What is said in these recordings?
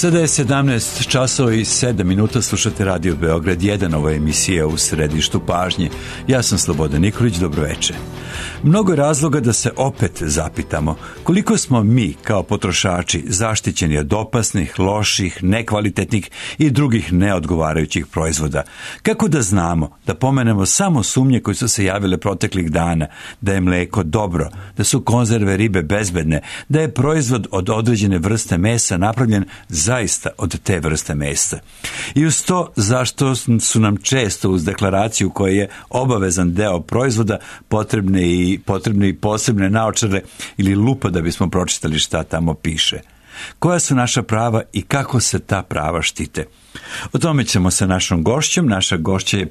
Sada je 17 časova i 7 minuta, slušate Radio Beograd 1, ova emisija u središtu pažnje. Ja sam Slobodan Nikolić, dobroveče. Mnogo je razloga da se opet zapitamo koliko smo mi kao potrošači zaštićeni od opasnih, loših, nekvalitetnih i drugih neodgovarajućih proizvoda. Kako da znamo, da pomenemo samo sumnje koje su se javile proteklih dana, da je mleko dobro, da su konzerve ribe bezbedne, da je proizvod od određene vrste mesa napravljen zaista od te vrste mesa. I uz to zašto su nam često uz deklaraciju koja je obavezan deo proizvoda potrebne i posebne naočare ili lupa da bismo pročitali šta tamo piše. Koja su naša prava i kako se ta prava štite? O tome ćemo sa našom gošćom. Naša gošća je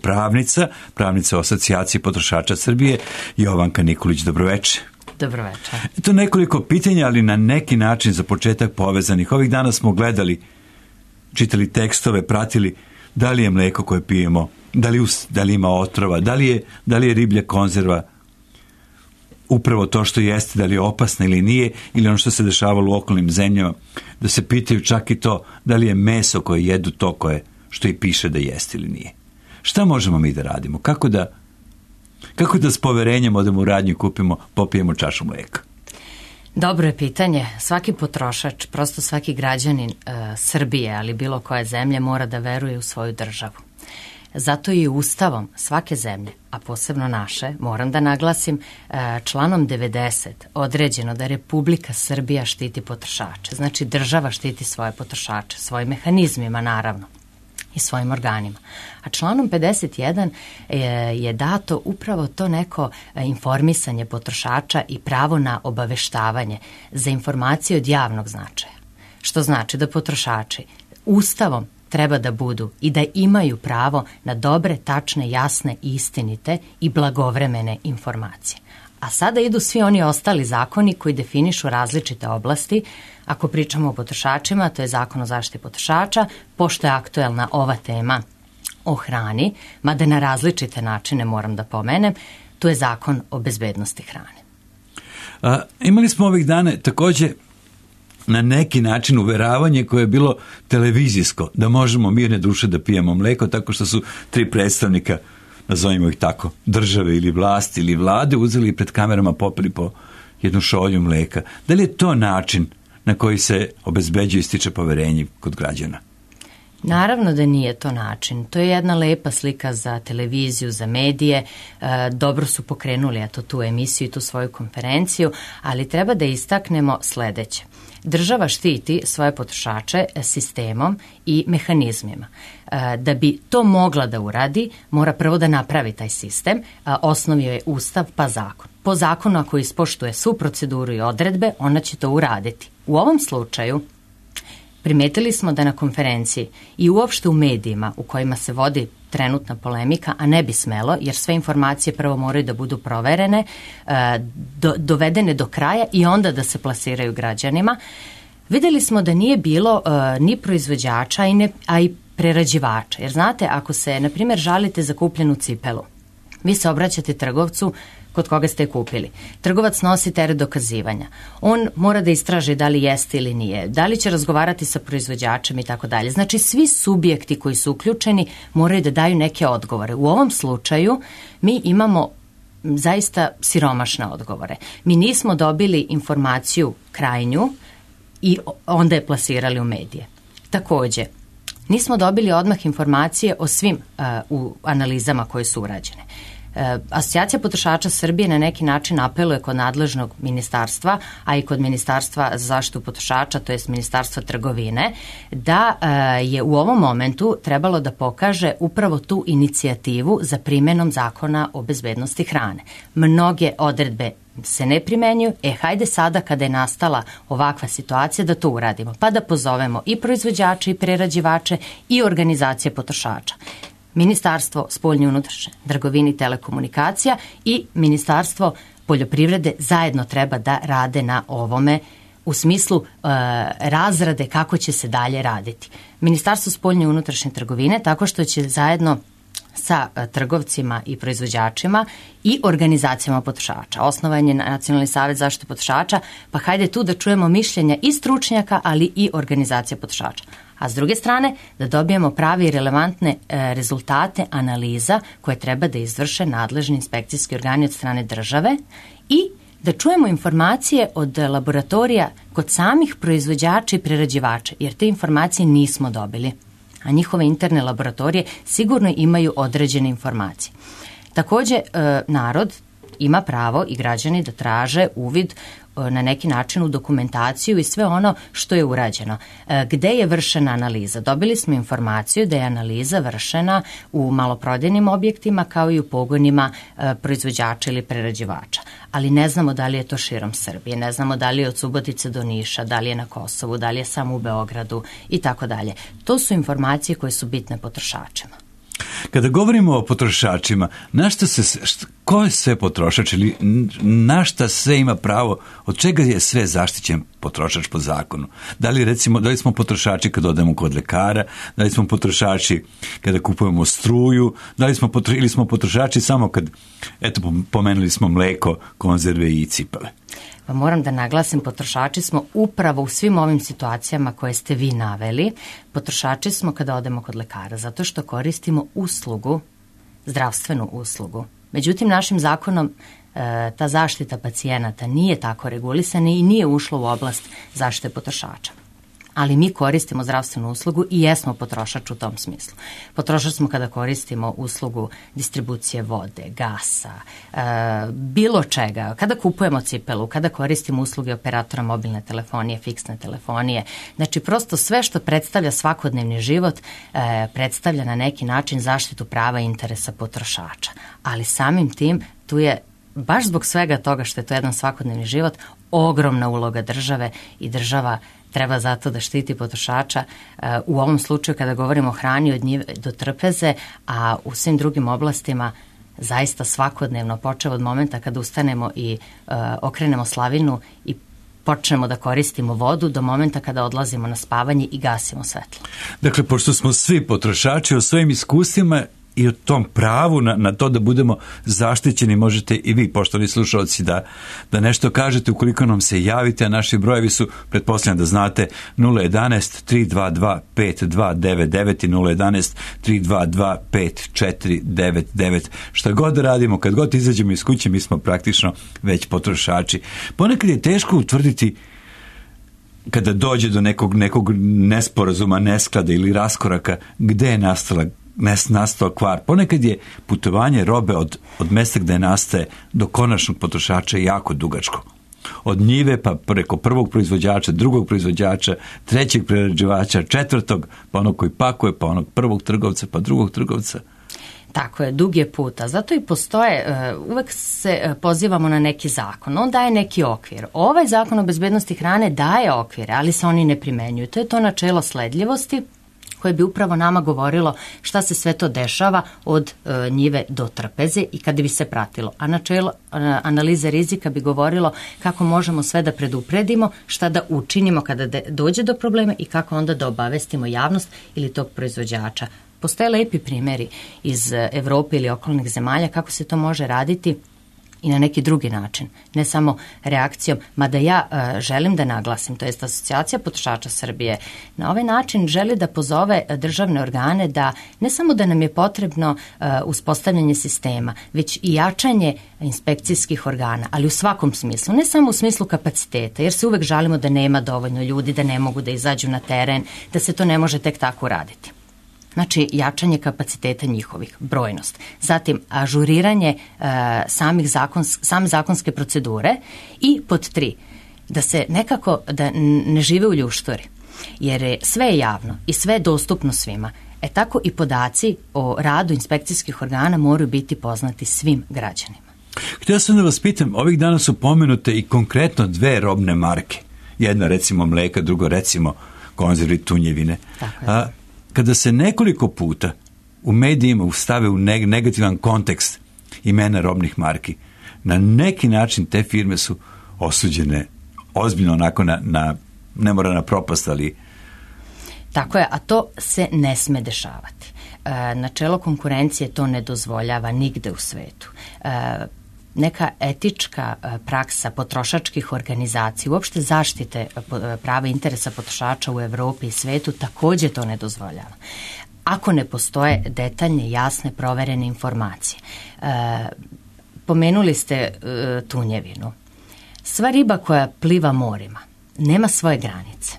pravnica Asocijacije potrošača Srbije, Jovanka Nikolić. Dobroveče. Dobroveče. Eto nekoliko pitanja, ali na neki način za početak povezanih. Ovih dana smo gledali, čitali tekstove, pratili da li je mleko koje pijemo, da li ima otrova, da li je riblja konzerva upravo to što jeste, da li je opasna ili nije, ili ono što se dešavalo u okolnim zemljama, da se pitaju čak i to da li je meso koje jedu to što i piše da jeste ili nije. Šta možemo mi da radimo? Kako da s poverenjem odemo u radnju i popijemo čašu mleka? Dobro je pitanje. Svaki potrošač, prosto svaki građanin Srbije, ali bilo koje zemlje, mora da veruje u svoju državu. Zato i Ustavom svake zemlje, a posebno naše, moram da naglasim, članom 90 određeno da Republika Srbija štiti potrošače. Znači država štiti svoje potrošače, svojim mehanizmima naravno i svojim organima. A članom 51 je dato upravo to neko informisanje potrošača i pravo na obaveštavanje za informacije od javnog značaja. Što znači da potrošači Ustavom treba da budu i da imaju pravo na dobre, tačne, jasne, istinite i blagovremene informacije. A sada idu svi oni ostali zakoni koji definišu različite oblasti. Ako pričamo o potrošačima, to je Zakon o zaštiti potrošača, pošto je aktuelna ova tema o hrani, mada na različite načine moram da pomenem, to je Zakon o bezbednosti hrane. Imali smo ovih dana također na neki način uveravanje koje je bilo televizijsko, da možemo mirne duše da pijemo mleko, tako što su 3 predstavnika, nazovimo ih tako, države ili vlasti ili vlade, uzeli i pred kamerama popili po jednu šolju mleka. Da li je to način na koji se obezbeđuje i stiče poverenje kod građana? Naravno da nije to način. To je jedna lepa slika za televiziju, za medije. Dobro su pokrenuli tu emisiju i tu svoju konferenciju, ali treba da istaknemo sledeće. Država štiti svoje potrošače sistemom i mehanizmima. Da bi to mogla da uradi, mora prvo da napravi taj sistem. Osnovio je Ustav pa zakon. Po zakonu, ako ispoštuje svu proceduru i odredbe, ona će to uraditi. U ovom slučaju primetili smo da na konferenciji i uopšte u medijima u kojima se vodi trenutna polemika, a ne bi smelo, jer sve informacije prvo moraju da budu proverene, dovedene do kraja i onda da se plasiraju građanima. Videli smo da nije bilo ni proizvođača, a i prerađivača. Jer znate, ako se, na primjer, žalite za kupljenu cipelu, vi se obraćate trgovcu kod koga ste je kupili. Trgovac nosi teret dokazivanja. On mora da istraži da li jeste ili nije, da li će razgovarati sa proizvođačem i tako dalje. Znači, svi subjekti koji su uključeni moraju da daju neke odgovore. U ovom slučaju mi imamo zaista siromašne odgovore. Mi nismo dobili informaciju krajnju i onda je plasirali u medije. Takođe, nismo dobili odmah informacije o svim u analizama koje su urađene. Asocijacija potrošača Srbije na neki način apeluje kod nadležnog ministarstva, a i kod Ministarstva za zaštitu potrošača, to jest Ministarstva trgovine, da je u ovom momentu trebalo da pokaže upravo tu inicijativu za primenom Zakona o bezbednosti hrane. Mnoge odredbe se ne primenjuju, hajde sada kada je nastala ovakva situacija da to uradimo, pa da pozovemo i proizvođače i prerađivače i organizacije potrošača. Ministarstvo spoljne i unutrašnje trgovine i telekomunikacija i Ministarstvo poljoprivrede zajedno treba da rade na ovome u smislu razrade kako će se dalje raditi. Ministarstvo spoljne i unutrašnje trgovine tako što će zajedno sa trgovcima i proizvođačima i organizacijama potrošača. Osnovan je Nacionalni savjet zaštite potrošača, pa hajde tu da čujemo mišljenja i stručnjaka, ali i organizacija potrošača. A s druge strane, da dobijemo pravi i relevantne rezultate analiza koje treba da izvrše nadležni inspekcijski organi od strane države i da čujemo informacije od laboratorija kod samih proizvođača i prerađivača, jer te informacije nismo dobili, a njihove interne laboratorije sigurno imaju određene informacije. Takođe, narod ima pravo i građani da traže uvid na neki način u dokumentaciju i sve ono što je urađeno. Gde je vršena analiza? Dobili smo informaciju da je analiza vršena u maloprodajnim objektima kao i u pogonima proizvođača ili prerađivača. Ali ne znamo da li je to širom Srbije, ne znamo da li je od Subotice do Niša, da li je na Kosovu, da li je samo u Beogradu i tako dalje. To su informacije koje su bitne potrošačima. Kada govorimo o potrošačima, ko je sve potrošač ili na šta sve ima pravo, od čega je sve zaštićen potrošač po zakonu? Da li smo potrošači kada odemo kod lekara, da li smo potrošači kada kupujemo struju, ili smo potrošači samo kad, pomenuli smo mleko, konzerve i cipele? Pa moram da naglasim, potrošači smo upravo u svim ovim situacijama koje ste vi naveli. Potrošači smo kada odemo kod lekara, zato što koristimo uslugu, zdravstvenu uslugu. Međutim, našim zakonom ta zaštita pacijenata nije tako regulisana i nije ušla u oblast zaštite potrošača. Ali mi koristimo zdravstvenu uslugu i jesmo potrošač u tom smislu. Potrošač smo kada koristimo uslugu distribucije vode, gasa, bilo čega, kada kupujemo cipelu, kada koristimo usluge operatora mobilne telefonije, fiksne telefonije. Znači, prosto sve što predstavlja svakodnevni život predstavlja na neki način zaštitu prava i interesa potrošača. Ali samim tim tu je, baš zbog svega toga što je to jedan svakodnevni život, ogromna uloga države i država treba zato da štiti potrošača u ovom slučaju kada govorimo o hrani od njive do trpeze, a u svim drugim oblastima zaista svakodnevno, počev od momenta kada ustanemo i okrenemo slavinu i počnemo da koristimo vodu do momenta kada odlazimo na spavanje i gasimo svetlo. Dakle, pošto smo svi potrošači o svojim iskustvima i o tom pravu na to da budemo zaštićeni, možete i vi, poštovani slušalci, da nešto kažete ukoliko nam se javite, a naši brojevi su, pretpostavljam da znate, 011-322-5299 i 011-322-5499. Šta god da radimo, kad god izađemo iz kuće, mi smo praktično već potrošači. Ponekad je teško utvrditi kada dođe do nekog nesporazuma, nesklada ili raskoraka, gde je nastao kvar. Ponekad je putovanje robe od mesta gde nastaje do konačnog potrošača jako dugačko. Od njive pa preko prvog proizvođača, drugog proizvođača, trećeg prerađivača, četvrtog, pa onog koji pakuje, pa onog prvog trgovca, pa drugog trgovca. Tako je, dug je puta. Zato i postoje, uvek se pozivamo na neki zakon. On daje neki okvir. Ovaj zakon o bezbednosti hrane daje okvire, ali se oni ne primenjuju. To je to načelo sledljivosti koje bi upravo nama govorilo šta se sve to dešava od njive do trpeze i kada bi se pratilo. A načelo analize rizika bi govorilo kako možemo sve da predupredimo, šta da učinimo kada dođe do problema i kako onda da obavestimo javnost ili tog proizvođača. Postoje lepi primjeri iz Evrope ili okolnih zemalja kako se to može raditi i na neki drugi način, ne samo reakcijom, mada ja želim da naglasim, to jest Asocijacija potrošača Srbije na ovaj način želi da pozove državne organe da ne samo da nam je potrebno uspostavljanje sistema, već i jačanje inspekcijskih organa, ali u svakom smislu, ne samo u smislu kapaciteta, jer se uvek žalimo da nema dovoljno ljudi, da ne mogu da izađu na teren, da se to ne može tek tako raditi. Znači, jačanje kapaciteta njihovih, brojnost. Zatim, ažuriranje same zakonske procedure i pod 3, da se nekako, da ne žive u ljušturi, jer sve je javno i sve je dostupno svima. Tako i podaci o radu inspekcijskih organa moraju biti poznati svim građanima. Htio sam da vas pitam, ovih dana su pomenute i konkretno 2 robne marke. Jedna recimo mleka, drugo recimo konzervi tunjevine. Tako je. Kada se nekoliko puta u medijima stave u negativan kontekst imena robnih marki, na neki način te firme su osuđene ozbiljno onako ne mora na propast, ali... Tako je, a to se ne sme dešavati. načelo konkurencije to ne dozvoljava nigde u svetu. Neka etička praksa potrošačkih organizacija, uopšte zaštite prava interesa potrošača u Evropi i svetu takođe to ne dozvoljava. Ako ne postoje detaljne, jasne, proverene informacije. Pomenuli ste tunjevinu. Sva riba koja pliva morima nema svoje granice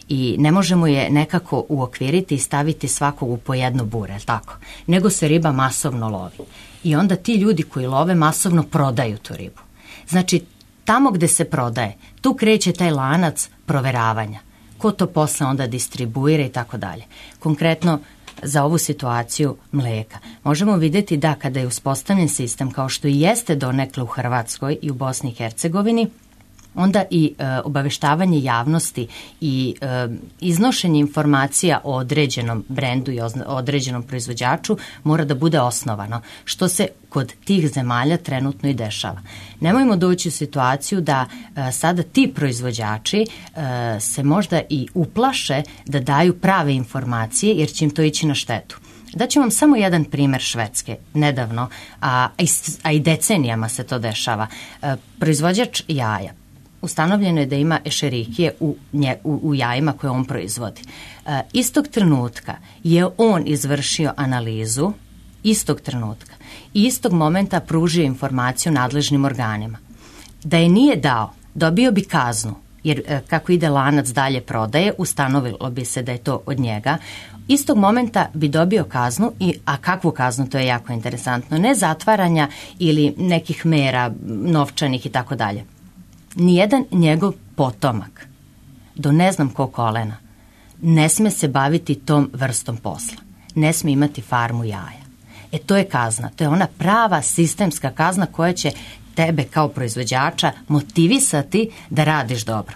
i ne možemo je nekako uokviriti i staviti svakog u po jedno bure, tako? Nego se riba masovno lovi. I onda ti ljudi koji love masovno prodaju tu ribu. Znači, tamo gde se prodaje, tu kreće taj lanac proveravanja. Ko to posle onda distribuira i tako dalje. Konkretno, za ovu situaciju mleka. Možemo vidjeti da kada je uspostavljen sistem, kao što i jeste donekle u Hrvatskoj i u Bosni i Hercegovini, onda i obaveštavanje javnosti i iznošenje informacija o određenom brendu i određenom proizvođaču mora da bude osnovano, što se kod tih zemalja trenutno i dešava. Nemojmo doći u situaciju da sada ti proizvođači se možda i uplaše da daju prave informacije jer će im to ići na štetu. Daću vam samo jedan primer Švedske, nedavno, a i decenijama se to dešava. Proizvođač jaja. Ustanovljeno je da ima ešerikije u jajima koje on proizvodi. Istog trenutka je on izvršio analizu, istog trenutka, i istog momenta pružio informaciju nadležnim organima. Da je nije dao, dobio bi kaznu, jer kako ide lanac dalje prodaje, ustanovilo bi se da je to od njega. Istog momenta bi dobio kaznu, a kakvu kaznu, to je jako interesantno, ne zatvaranja ili nekih mera novčanih i tako dalje. Nijedan njegov potomak, do ne znam ko kolena, ne sme se baviti tom vrstom posla. Ne sme imati farmu jaja. To je kazna. To je ona prava sistemska kazna koja će tebe kao proizvođača motivisati da radiš dobro.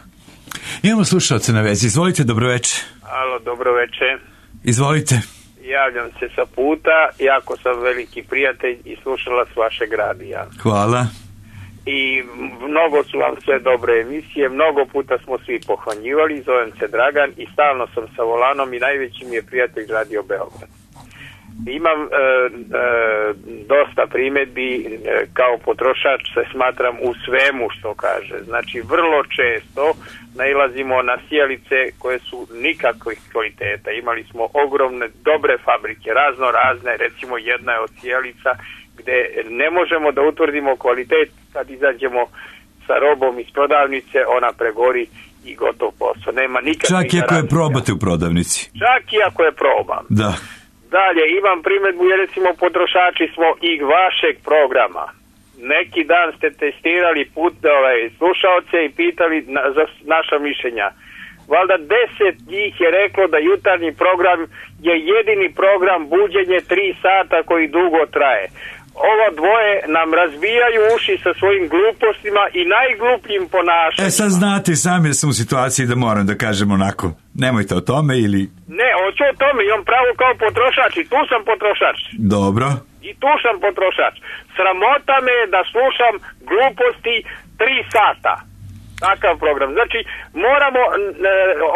Imamo slušalce na vezi. Izvolite, dobroveče. Alo, dobroveče. Izvolite. Javljam se sa puta. Jako sam veliki prijatelj i slušalac vašeg radija. Hvala. I mnogo su vam sve dobre emisije, mnogo puta smo svi pohvanjivali, zovem se Dragan i stalno sam sa volanom i najveći mi je prijatelj Radio Beograd. Imam dosta primjedbi, kao potrošač se smatram u svemu što kaže. Znači, vrlo često nailazimo na sjelice koje su nikakvih kvaliteta. Imali smo ogromne, dobre fabrike, razne, recimo jedna je od sjelica gde ne možemo da utvrdimo kvalitet, kad izađemo sa robom iz prodavnice, ona pregori i gotov posao. Nema nikakvih čak i ako je probate u prodavnici. Čak i ako je probam. Da. Dalje, imam primjedbu, jer recimo potrošači smo i vašeg programa. Neki dan ste testirali slušaoce i pitali za naša mišljenja. Valjda 10 njih je reklo da jutarnji program je jedini program buđenje 3 sata koji dugo traje. Ovo dvoje nam razbijaju uši sa svojim glupostima i najglupljim ponašanjima. Sad znate sami da sam u situaciji da moram da kažem onako, nemojte o tome ili... Ne, hoću o tome, imam pravo kao potrošač i tu sam potrošač. Dobro. I tu sam potrošač. Sramota me je da slušam gluposti 3 sata. Takav program. Znači, moramo,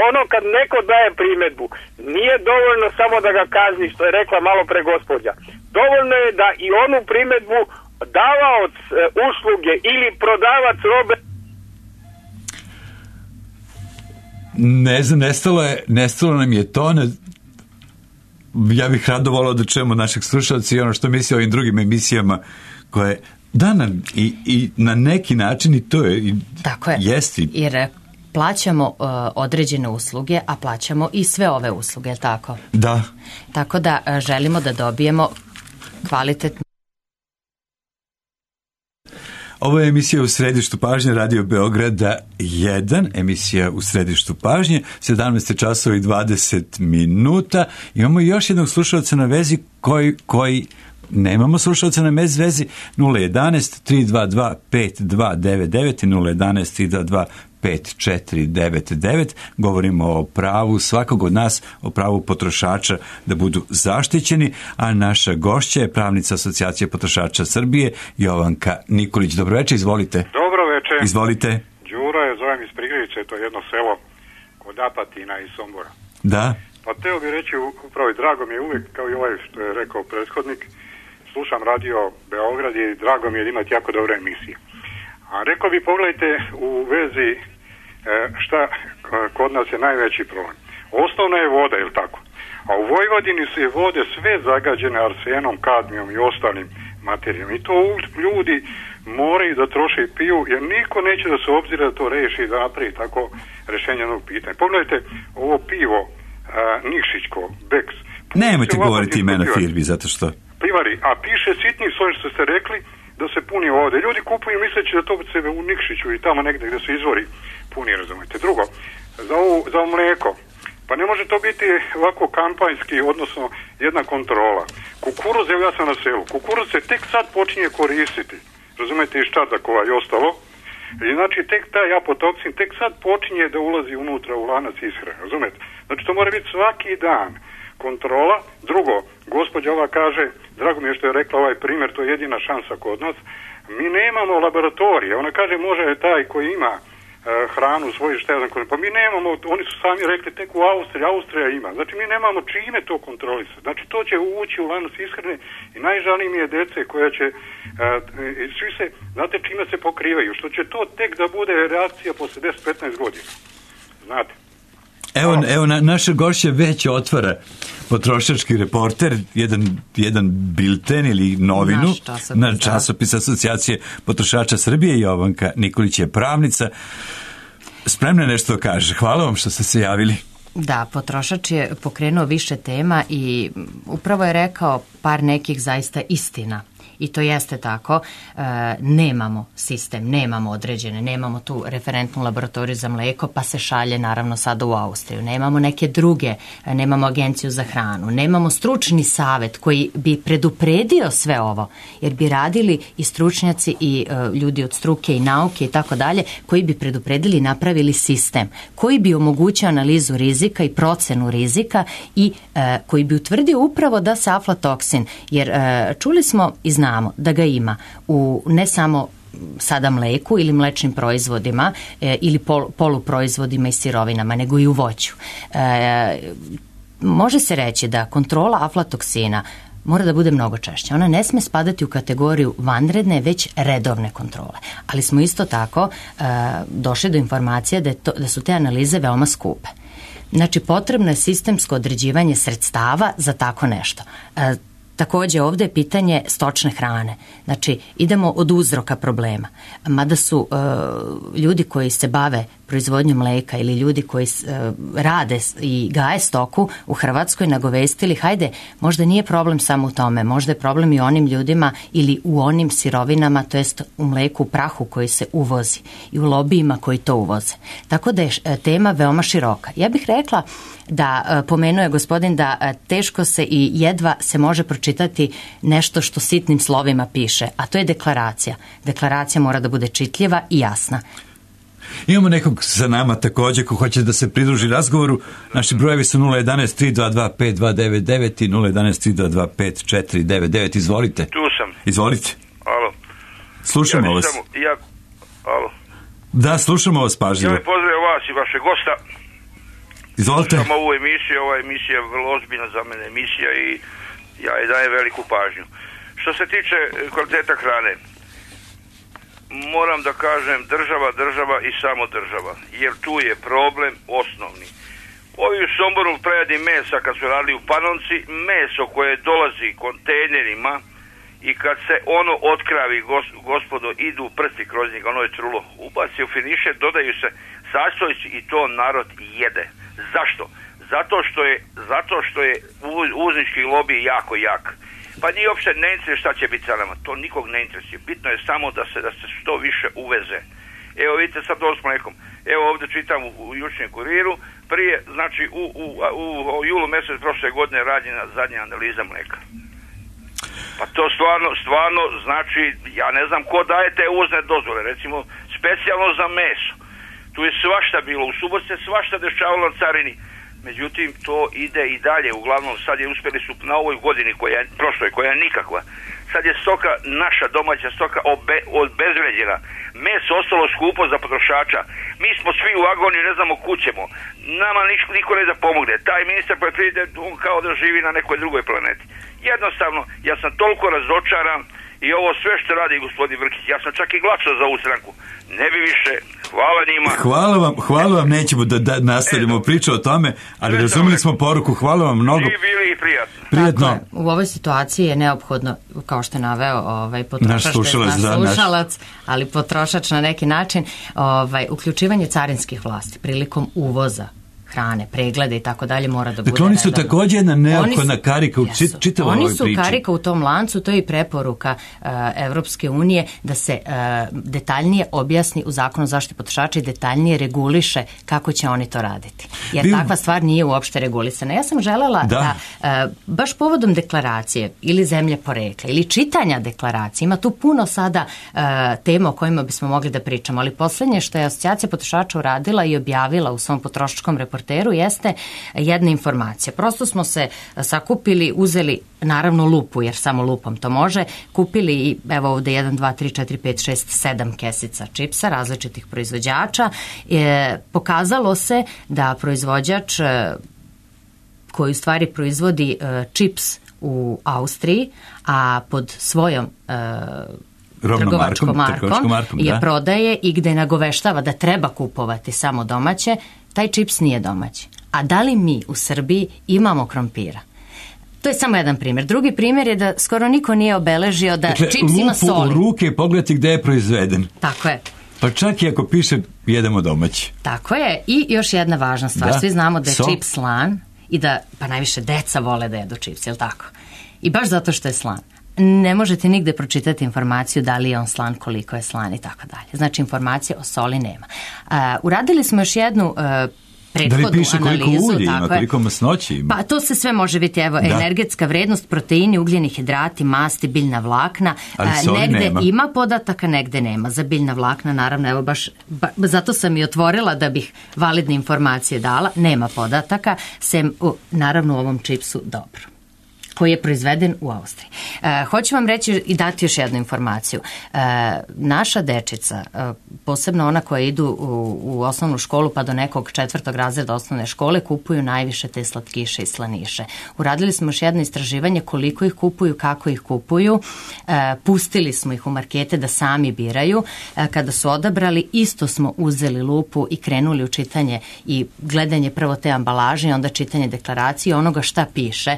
ono kad neko daje primjedbu, nije dovoljno samo da ga kazni, što je rekla malo pre gospođa. Dovoljno je da i onu primjedbu davaoc usluge ili prodavac robe. Ne znam, nestalo nam je to. Ja bih rado volao da čujemo našeg slušalca i ono što misli o ovim drugim emisijama koje... I na neki način i to je. Tako je, jesti. Jer plaćamo određene usluge, a plaćamo i sve ove usluge, tako? Da. Tako da želimo da dobijemo kvalitetno. Ovo je emisija u središtu pažnje Radio Beograda 1, emisija u središtu pažnje, 17 časova i 20 minuta. Imamo još jednog slušalca na vezi koji nemamo slušalca na vezi 011-322-5299 i 011-322-5499. Govorimo o pravu svakog od nas, o pravu potrošača da budu zaštićeni, a naša gošća je pravnica Asocijacije potrošača Srbije, Jovanka Nikolić. Dobroveče, izvolite. Dobroveče. Izvolite. Đuro je, zovem iz Prigriče, to je jedno selo kod Apatina i Sombora. Da. Pa teo bih reći upravo i drago mi je uvijek, kao i ovaj što je rekao prethodnik, slušam radio Beograd i drago mi je imati jako dobre emisije. A rekao bi, pogledajte u vezi šta kod nas je najveći problem. Osnovna je voda, je li tako? A u Vojvodini su je vode sve zagađene arsenom, kadmijom i ostalim materijama. I to ljudi moraju da troše i piju, jer niko neće da se obzira da to reši i da napravi tako rješenje jednog pitanja. Pogledajte ovo pivo Nikšićko, Beks. Nemojte govoriti imena firmi, zato što... Pivari, a piše sitni svoj što ste rekli da se puni ovde. Ljudi kupuju misleći da to sebe u Nikšiću i tamo negde gde su izvori puni, razumete. Drugo, za ovo mleko, pa ne može to biti ovako kampanjski, odnosno jedna kontrola. Kukuruz, evo ja sam na selu, kukuruz se tek sad počinje koristiti, razumete, iz Čardakova i ostalo. I znači tek taj apotoksin tek sad počinje da ulazi unutra u lanac ishrane, razumete? Znači to mora biti svaki dan kontrola. Drugo, gospođa ova kaže, drago mi je što je rekla ovaj primjer, to je jedina šansa kod nas, mi nemamo laboratorije. Ona kaže može taj koji ima hranu u svojoj štezanku, pa mi nemamo, oni su sami rekli tek u Austrija ima. Znači mi nemamo čime to kontrolisati. Znači to će ući u lanac ishrane i najžalnije mi je dece koja će svi se, znate čime se pokrivaju, što će to tek da bude reakcija posle 10-15 godina. Znate. Evo naša gošća već otvara Potrošački reporter, jedan bilten ili novinu, na časopis Asocijacije potrošača Srbije. Jovanka Nikolić je pravnica. Spremna nešto da kaže. Hvala vam što ste se javili. Da, potrošač je pokrenuo više tema i upravo je rekao par nekih zaista istina. I to jeste tako, nemamo sistem, nemamo određene, nemamo tu referentnu laboratoriju za mleko, pa se šalje naravno sada u Austriju. Nemamo neke druge, nemamo agenciju za hranu, nemamo stručni savet koji bi predupredio sve ovo, jer bi radili i stručnjaci i ljudi od struke i nauke i tako dalje, koji bi predupredili i napravili sistem, koji bi omogućio analizu rizika i procenu rizika i koji bi utvrdio upravo da se aflatoksin, jer čuli smo i znamo da ga ima u ne samo sada mleku ili mlečnim proizvodima ili poluproizvodima i sirovinama, nego i u voću. Može se reći da kontrola aflatoksina mora da bude mnogo češća. Ona ne sme spadati u kategoriju vanredne, već redovne kontrole. Ali smo isto tako došli do informacije da su te analize veoma skupe. Znači, potrebno je sistemsko određivanje sredstava za tako nešto. Također ovdje je pitanje stočne hrane. Znači, idemo od uzroka problema. Mada su ljudi koji se bave proizvodnjom mleka ili ljudi koji rade i gaje stoku u Hrvatskoj nagovestili, hajde, možda nije problem samo u tome, možda je problem i u onim ljudima ili u onim sirovinama, to jest u mleku, u prahu koji se uvozi i u lobijima koji to uvoze. Tako da je tema veoma široka. Ja bih rekla da, pomenuo je gospodin, da teško se i jedva se može pročitati nešto što sitnim slovima piše, a to je deklaracija. Deklaracija mora da bude čitljiva i jasna. Imamo nekog sa nama također ko hoće da se pridruži razgovoru. Naši brojevi su 011-322-5299 i 011-322-5499. Izvolite. Tu sam. Izvolite. Alo. Slušamo vas. Alo. Da, slušamo vas pažljivo. Ja bih pozdravio vas i vaše gosta. Izvolite. Slušam ovu emisiju, ova emisija je vrlo ozbiljna za mene emisija i ja je dajem veliku pažnju. Što se tiče kvaliteta hrane, moram da kažem država i samo država, jer tu je problem osnovni. Ovi u Somboru preradi mesa kad su radili u Panonci, meso koje dolazi kontejnerima i kad se ono otkravi, gospodo, idu prsti kroz njega, ono je trulo, ubaci u finiše, dodaju se sastojci i to narod jede. Zašto? Zato što je uvoznički lobij jako jak. Pa nije uopšte ne interesuje šta će biti sa nama, to nikog ne interesuje. Bitno je samo da se što više uveze. Evo vidite sad ovo s mlekom. Evo ovdje čitam u jučnjem kuriru, prije, znači u julu mjesec prošle godine rađena zadnja analiza mleka. Pa to stvarno znači, ja ne znam ko daje te uvozne dozvole, recimo specijalno za meso. Tu je svašta bilo, u Subotici se svašta dešavalo na carini. Međutim, to ide i dalje. Uglavnom, sad je uspjeli su na ovoj godini, prošloj, koja je nikakva. Sad je stoka, naša domaća stoka obezvređena. Meso postalo skupo za potrošača. Mi smo svi u agoniji, ne znamo kućemo. Nama niko ne da pomogne. Taj ministar poljoprivrede, on kao da živi na nekoj drugoj planeti. Jednostavno, ja sam toliko razočaran i ovo sve što radi gospodin Vrkić, ja sam čak i glasao za ovu stranku. Ne bi više, hvala njima. Hvala vam, nećemo da nastavljamo priču o tome, ali razumeli smo poruku, hvala vam mnogo. I bili i prijatno. Prijatno. U ovoj situaciji je neophodno, kao što je naveo potrošač, naš slušalac, ali potrošač na neki način, uključivanje carinskih vlasti prilikom uvoza hrane, preglede i tako dalje mora da bude. Dakle, oni su također jedna neophodna karika u čitavoj ovoj priči. Oni su karika u tom lancu, to je i preporuka Evropske unije da se detaljnije objasni u Zakonu o zaštiti potrošača i detaljnije reguliše kako će oni to raditi. Jer takva stvar nije uopšte regulisana. Ja sam želela da baš povodom deklaracije ili zemlje porekla ili čitanja deklaracije, ima tu puno sada tema o kojima bismo mogli da pričamo, ali poslednje što je Asocijacija potrošača uradila i objavila u svom potrošačkom reportažu jeste jedna informacija. Prosto smo se sakupili, uzeli naravno lupu, jer samo lupom to može, kupili i evo ovde 1, 2, 3, 4, 5, 6, 7 kesica čipsa različitih proizvođača. Pokazalo se da proizvođač koji u stvari proizvodi čips u Austriji, a pod svojom trgovačkom markom je prodaje i gde nagoveštava da treba kupovati samo domaće, taj čips nije domaći. A da li mi u Srbiji imamo krompira? To je samo jedan primjer. Drugi primjer je da skoro niko nije obeležio da čips ima soli. Lupu u ruke i pogledati gde je proizveden. Tako je. Pa čak i ako piše jedemo domaći. Tako je. I još jedna važna stvar. Svi znamo da je čips slan i da pa najviše deca vole da jedu čips, je li tako? I baš zato što je slan. Ne možete nigde pročitati informaciju da li je on slan, koliko je slan i tako dalje. Znači, informacije o soli nema. Uradili smo još jednu prethodnu analizu. Da li piše koliko ulje ima, koliko masnoće ima? Pa to se sve može biti, evo, energetska vrednost, proteini, ugljeni hidrati, masti, biljna vlakna. Negde nema. Ima podataka, negde nema. Za biljna vlakna, naravno, evo baš, zato sam i otvorila da bih validne informacije dala. Nema podataka, sem, naravno, u ovom čipsu dobro, koji je proizveden u Austriji. Hoću vam reći i dati još jednu informaciju. Naša dečica, posebno ona koja idu u osnovnu školu pa do nekog 4. razreda osnovne škole, kupuju najviše te slatkiše i slaniše. Uradili smo još jedno istraživanje koliko ih kupuju, kako ih kupuju. Pustili smo ih u markete da sami biraju. Kada su odabrali, isto smo uzeli lupu i krenuli u čitanje i gledanje prvo te ambalaže i onda čitanje deklaracije onoga šta piše.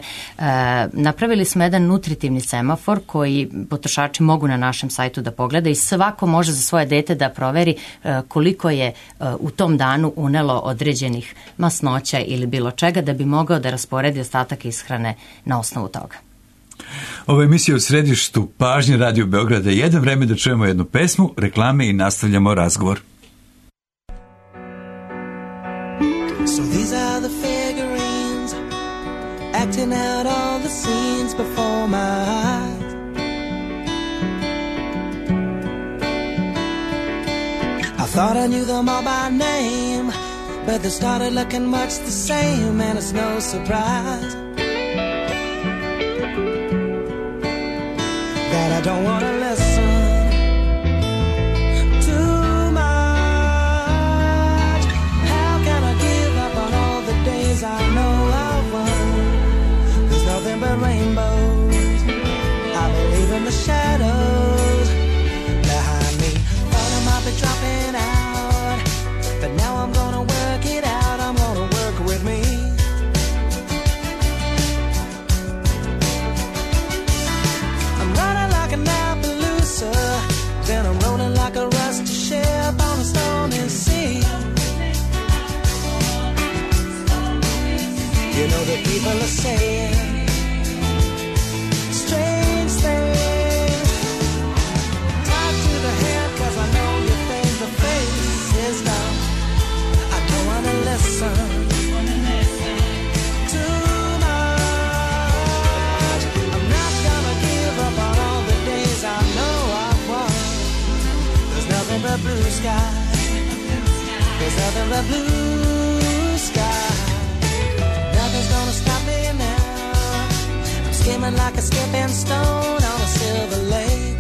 Napravili smo jedan nutritivni semafor koji potrošači mogu na našem sajtu da pogleda i svako može za svoje dete da proveri koliko je u tom danu unelo određenih masnoća ili bilo čega da bi mogao da rasporedi ostatak ishrane na osnovu toga. Ovo je emisija u središtu pažnje Radio Beograda 1. Vreme da čujemo jednu pesmu, reklame i nastavljamo razgovor. So these are the figurines acting out all the scenes before my eyes. I thought I knew them all by name, but they started looking much the same, and it's no surprise that I don't want to listen too much. How can I give up on all the days I know I've won? There's nothing but rainbows. I believe in the shadows behind me. Thought I might be dropping out, but now I'm gonna work it out. I'm gonna work with me. I'm running like an Appaloosa, then I'm rolling like a rusty ship on a stormy sea. You know that people are saying strange things. Tied to the head, cause I know you think the face is dumb. I don't wanna listen too much. I'm not gonna give up on all the days I know I've won. There's nothing but blue sky. There's nothing but blue sky. Nothing's gonna stop me now. I'm skimming like a skipping stone on a silver lake.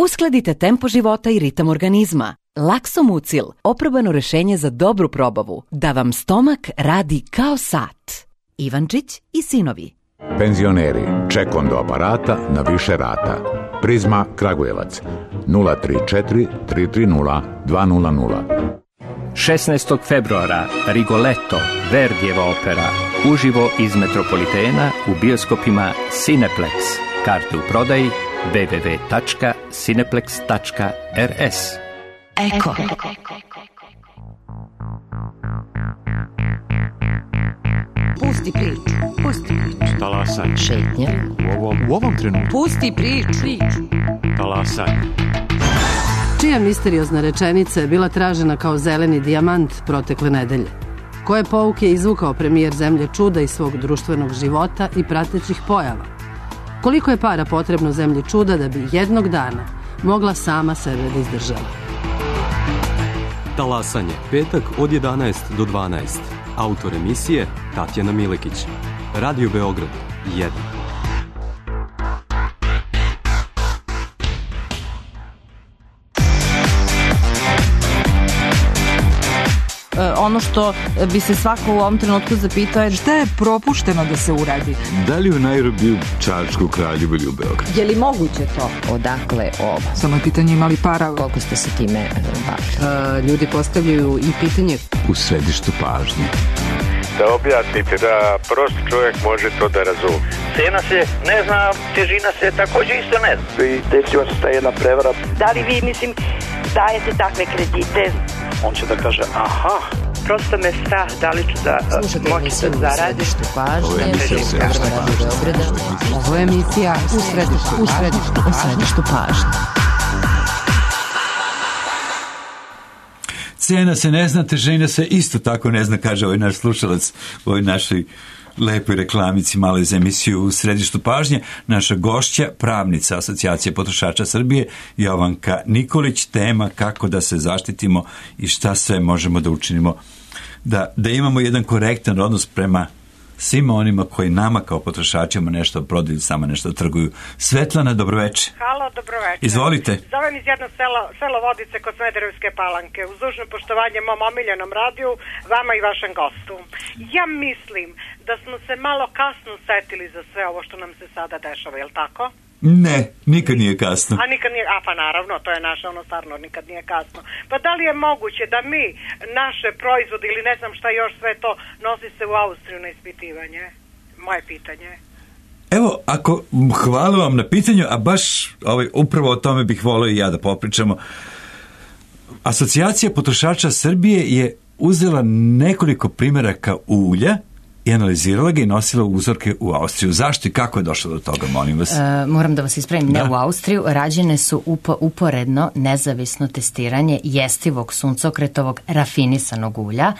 Uskladite tempo života i ritam organizma. Laksomucil, oprobano rešenje za dobru probavu, da vam stomak radi kao sat. Ivančić i sinovi. Penzioneri, ček do aparata na više rata. Prizma Kragujevac 034 330 200. 16. februara Rigoletto, Verdijeva opera, uživo iz Metropolitena u bioskopima Cineplex. Karte u prodaji www.cineplex.rs. Eko. Pusti priču. Talasaj. Šetnje. U ovom trenutku. Pusti priču. Talasaj. Čija misteriozna rečenica je bila tražena kao zeleni dijamant protekle nedelje? Koje pouke je izvukao premijer Zemlje čuda iz svog društvenog života i pratećih pojava? Koliko je para potrebno Zemlji čuda da bi jednog dana mogla sama sebe da izdržava? Talasanje. Petak od 11 do 12. Autor emisije Tatjana Milekić. Radio Beograd 1. Ono što bi se svako u ovom trenutku zapitao je šta je propušteno da se uradi. Da li u Nairobiju, Čačku, Kraljevu ili u Beogradu? Je li moguće to? Odakle ovo? Samo je pitanje imali para. Koliko ste se time bavili? Ljudi postavljaju i pitanje U središtu pažnje. Da objasnite da prost čovjek može to da razumije. Cena se ne zna, težina se također isto ne zna. I desila se ta jedna prevara. Da li vi, dajete takve kredite? On će da kaže, aha. Prosto me strah, da li ću da moći da zaradim. Ovo je emisija u središtu pažnje. Cena se ne zna, težina se isto tako ne zna, kaže ovaj naš slušalac u ovoj našoj lepoj reklamici malo za emisiju u središtu pažnje. Naša gošća, pravnica Asocijacije potrošača Srbije, Jovanka Nikolić, tema kako da se zaštitimo i šta sve možemo da učinimo da imamo jedan korektan odnos prema svima onima koji nama kao potrošačima nešto prodaju, samo nešto trguju. Svetlana, dobroveče. Halo, dobroveče. Izvolite. Zovem iz jednog selo Vodice kod Smederevske Palanke. Uz dužno poštovanje mom omiljenom radiju, vama i vašem gostu. Ja mislim da smo se malo kasno setili za sve ovo što nam se sada dešava, je li tako? Ne, nikad nije kasno. A nikad nije, pa naravno, to je naše stvarno, nikad nije kasno. Pa da li je moguće da mi naše proizvode ili ne znam šta još sve to nosi se u Austriju na ispitivanje? Moje pitanje. Evo, hvala vam na pitanju, a baš upravo o tome bih volio i ja da popričamo. Asocijacija potrošača Srbije je uzela nekoliko primjeraka ulja i analizirala ga i nosila uzorke u Austriju. Zašto i kako je došlo do toga, molim vas? Moram da vas ispravim, ne u Austriju. Rađene su uporedno nezavisno testiranje jestivog suncokretovog rafinisanog ulja